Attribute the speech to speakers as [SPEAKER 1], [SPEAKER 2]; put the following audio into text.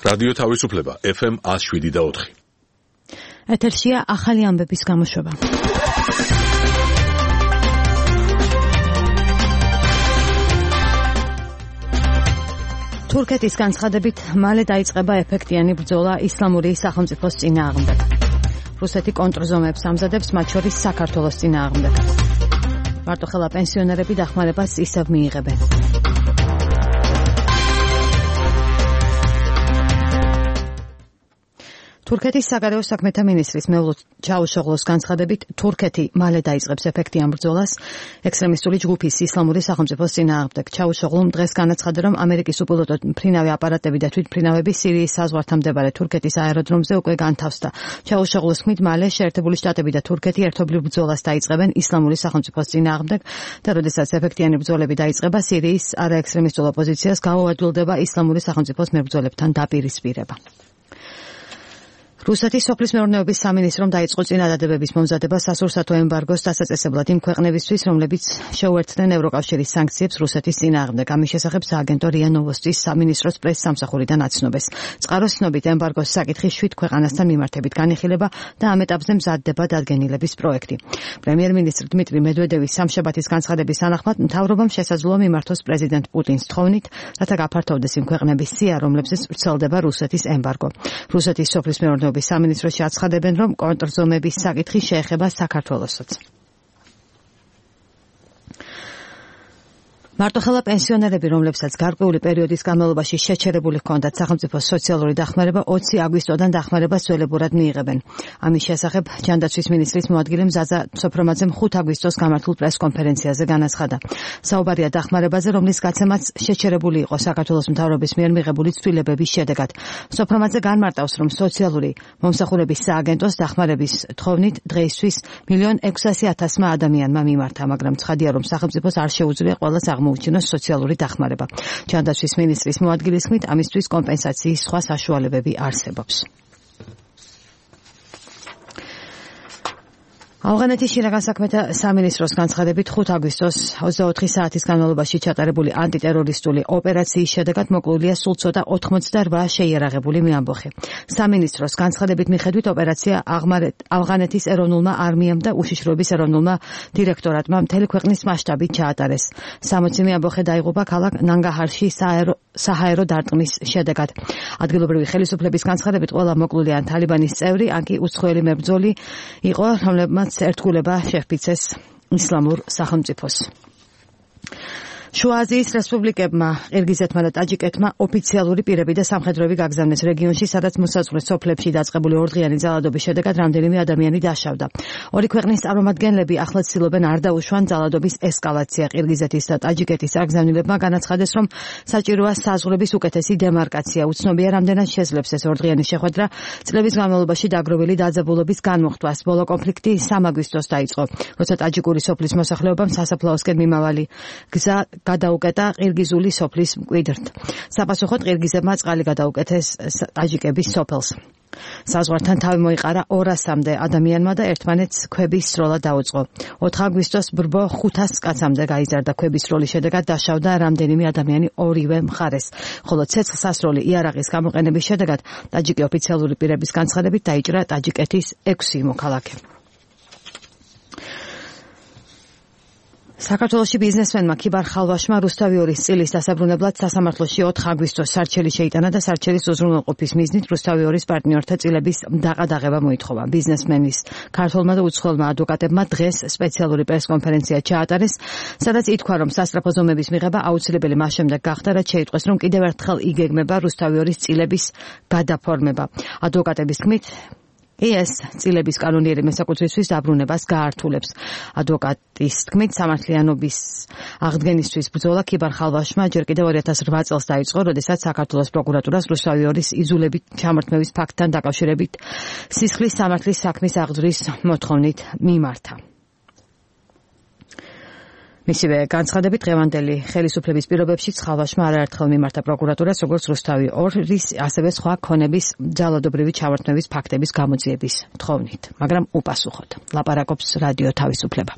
[SPEAKER 1] რადიო თავისუფლება FM 107.4.
[SPEAKER 2] ეთერშია ახალი ამბების გამოშვება. თურქეთის განცხადებით მალე დაიწყება ეფექტიანი ბრძოლა ისლამური სახელმწიფოს წინააღმდეგ. რუსეთი კონტრზომებს ამზადებს, მათ შორის საქართველოს წინააღმდეგ. მარტოხელა პენსიონერები დახმარებას ისევ მიიღებენ. თურქეთის საგარეო საქმეთა მინისტრის მევლუდ ჩაუშოღლოს განცხადებით, თურქეთი მალე დაიწყებს ეფექტიან ბრძოლას ექსტრემისტული ჯგუფის ისლამური სახელმწიფოს წინააღმდეგ. ჩაუშოღლომ დღეს განაცხადა, რომ ამერიკის უპილოტო მფრინავი აპარატები და თვითმფრინავები სირიის საზღვართან მდებარე თურქეთის აეროდრომზე უკვე განთავსდა. ჩაუშოღლოს თქმით, მალე შეერთებული შტატები და თურქეთი ერთობლივ ბრძოლას დაიწყებენ ისლამური სახელმწიფოს წინააღმდეგ და როდესაც ეფექტიანი ბრძოლები დაიწყება, სირიის არაექსტრემისტულ ოპოზიციას გაუადვილდება ისლამური სახელმწიფოს მებრძოლებთან დაპირისპირება. რუსეთის სოფლის მეურნეობის სამინისტრომ დაიწყო წინადადებების მომზადება სასურსათო ემბარგოს დასაწესებლად იმ ქვეყნებისთვის, რომლებიც შეუერთდნენ ევროკავშირის სანქციებს რუსეთის წინააღმდეგ. ამის შესახებ სააგენტო რია ნოვოსტის სამინისტროს პრეს-სამსახურიდან აცნობს. წყაროს ცნობით ემბარგოს საკითხი 7 ქვეყანასთან მიმართებით განიხილება და ამ ეტაპზე მზადდება დადგენილების პროექტი. პრემიერ-მინისტრ დმიტრი მედვედევის სამშაბათის განცხადების თანახმად მთავრობამ შესაძლოა მიმართოს პრეზიდენტ პუტინს თხოვნით, რათა გაფართოვდეს იმ ქვეყნების სია, რომლებზეც ვრცელდება რუსეთის ემბარგო. რუსეთის სოფლის მეურნეობის სამინისტროში აცხადებენ, რომ კონტრზომების საკითხი შეეხება საქართველოსაც. მარტოხელა პენსიონერები, რომლებსაც გარკვეული პერიოდის განმავლობაში შეჩერებული ჰქონდათ სახელმწიფოს სოციალური დახმარება, 20 აგვისტოდან დახმარებას ძველებურად მიიღებენ. ამის შესახებ ჯანდაცვის მინისტრის მოადგილე მზაზა სოფრომაძემ 5 აგვისტოს გამართულ პრეს-კონფერენციაზე განაცხადა. საუბარია დახმარებაზე, რომლის გაცემაც შეჩერებული იყო საქართველოს მთავრობის მიერ მიღებული ცვლილებების შედეგად. სოფრომაძე განმარტავს, რომ სოციალური მომსახურების სააგენტოს დახმარების თხოვნით დღეისთვის 1.600.000 ადამიანმა მიმართა, მაგრამ ცხადია, რომ სახელმწიფოს არ შეუძლია ყველას აღმოუჩინოს სოციალური დახმარება. ჯანდაცვის მინისტრის მოადგილის თქმით, ამისთვის კომპენსაციის სხვა საშუალებები არსებობს. ავღანეთის შინაგან საქმეთა სამინისტროს განცხადებით 5 აგვისტოს 24 საათის განმავლობაში ჩატარებული ანტიტერორისტული ოპერაციის შედეგად მოკლულია სულ ცოტა 88 შეიარაღებული მეამბოხი. სამინისტროს განცხადებით მიხედვით ოპერაცია ავღანეთის ეროვნულმა არმიამ და უშიშროების ეროვნულმა დირექტორატმა მთელი ქვეყნის მასშტაბით ჩაატარეს. 60 მეამბოხი დაიღუპა ქალაქ ნანგაჰარში საჰაერო დარტყმის შედეგად. ადგილობრივი ხელისუფლების განცხადებით ყველა მოკლული ან თალიბანის წევრი, ან კი უცხოელი მებრძოლი იყო, რომლებმაც ერთგულება შეჰფიცეს ისლამურ სახელმწიფოს. შუა აზიის რესპუბლიკებმა, ყირგიზეთმა და ტაჯიკეთმა ოფიციალური პირები და სამხედროები გაგზავნეს რეგიონში, სადაც მოსაზღვრე სოფლებში დაწყებული ორდღიანი ძალადობის შედეგად რამდენიმე ადამიანი დაშავდა. ორი ქვეყნის წარმომადგენლები ახლად ცდილობენ არ დაუშვან ძალადობის ესკალაცია. ყირგიზეთის და ტაჯიკეთის წარგზავნილებმა განაცხადეს, რომ საჭიროა საზღვრების უკეთესი დემარკაცია. უცნობია, რამდენად შეძლებს ეს ორდღიანი შეხვედრა წლების განმავლობაში დაგროვილი დაძაბულობის განმუხტვას. ბოლო კონფლიქტი 3 აგვისტოს დაიწყო, როცა ტაჯიკური სოფლის მოსახლეობამ სასაფლაოსკენ მიმავალი გზა გადაუკეტა ყირგიზული სოფლის მკვიდრთ. საპასუხოდ ყირგიზებმა წყალი გადაუკეთეს ტაჯიკების სოფელს. საზღვართან თავი მოიყარა 200-მდე ადამიანმა და ერთმანეთს ქვების სროლა დაუწყო. 4 აგვისტოს ბრბო 500 კაცამდე გაიზარდა. ქვების სროლის შედეგად დაშავდა რამდენიმე ადამიანი ორივე მხარეს. ხოლო ცეცხლსასროლი იარაღის გამოყენების შედეგად ტაჯიკი ოფიციალური პირების განცხადებით დაიჭრა ტაჯიკეთის 6 მოქალაქე. საქართველოში ბიზნესმენმა ქიბარ ხალვაშმა რუსთავიორის წილის დასაბრუნებლად სასამართლოში 4 აგვისტოს სარჩელი შეიტანა და სარჩელის უზრუნველყოფის მიზნით რუსთავიორის პარტნიორთა წილების დაყადაღება მოითხოვა. ბიზნესმენის ქართველმა და უცხოელმა ადვოკატებმა დღეს სპეციალური პრესკონფერენცია ჩაატარეს, სადაც ითქვა, რომ სასწრაფო ზომების მიღება აუცილებელი მას შემდეგ გახდა, რაც შეიტყვეს, რომ კიდევ ერთხელ იგეგმება რუსთავიორის წილების გადაფორმება. ადვოკატების თქმით, ეს წილების კანონიერი მესაკუთრისთვის დაბრუნებას გაართულებს. ადვოკატის თქმით, სამართლიანობის აღდგენისთვის ბრძოლა ქიბარ ხალვაშმა ჯერ კიდევ 2008 წელს დაიწყო, როდესაც საქართველოს პროკურატურას რუსთავიორის იზოლებით ჩამორთმევის ფაქტთან დაკავშირებით სისხლის სამართლის საქმის აღძვრის მოთხოვნით მიმართა. მისივე განცხადებით დღევანდელი ხელისუფლების პირობებში ხალვაშმა არაერთხელ მიმართა პროკურატურას როგორც რუსთავი 2-ის, ასევე სხვა ქონების ძალადობრივი ჩამორთმევის ფაქტების გამოძიების თხოვნით, მაგრამ უპასუხოდ. ლაპარაკობს რადიო თავისუფლება.